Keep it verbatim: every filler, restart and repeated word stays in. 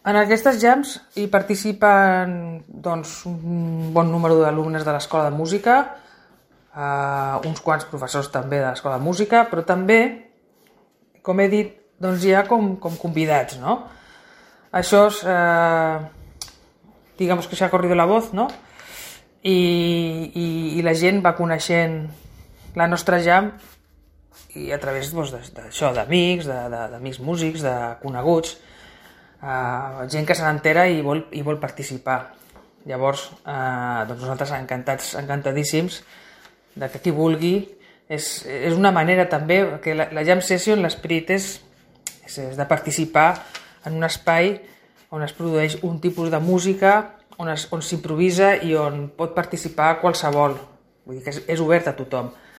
En aquestes jams hi participen doncs, un bon número d'alumnes de l'Escola de Música, eh, uns quants professors també de l'Escola de Música, però també, com he dit, doncs hi ha com, com convidats, no? Això és, eh, digamos que s'ha corrido la voz, no? I, i, i la gent va coneixent la nostra jam i a través doncs, d'això, d'amics, d'amics músics, de coneguts, Uh, gent que se n'entera i vol, i vol participar. Llavors, uh, doncs nosaltres encantats, encantadíssims de que qui vulgui. És, és una manera també, que la, la jam session, l'esperit és, és, és de participar en un espai on es produeix un tipus de música, on, es, on s'improvisa i on pot participar qualsevol. Vull dir que és, és obert a tothom.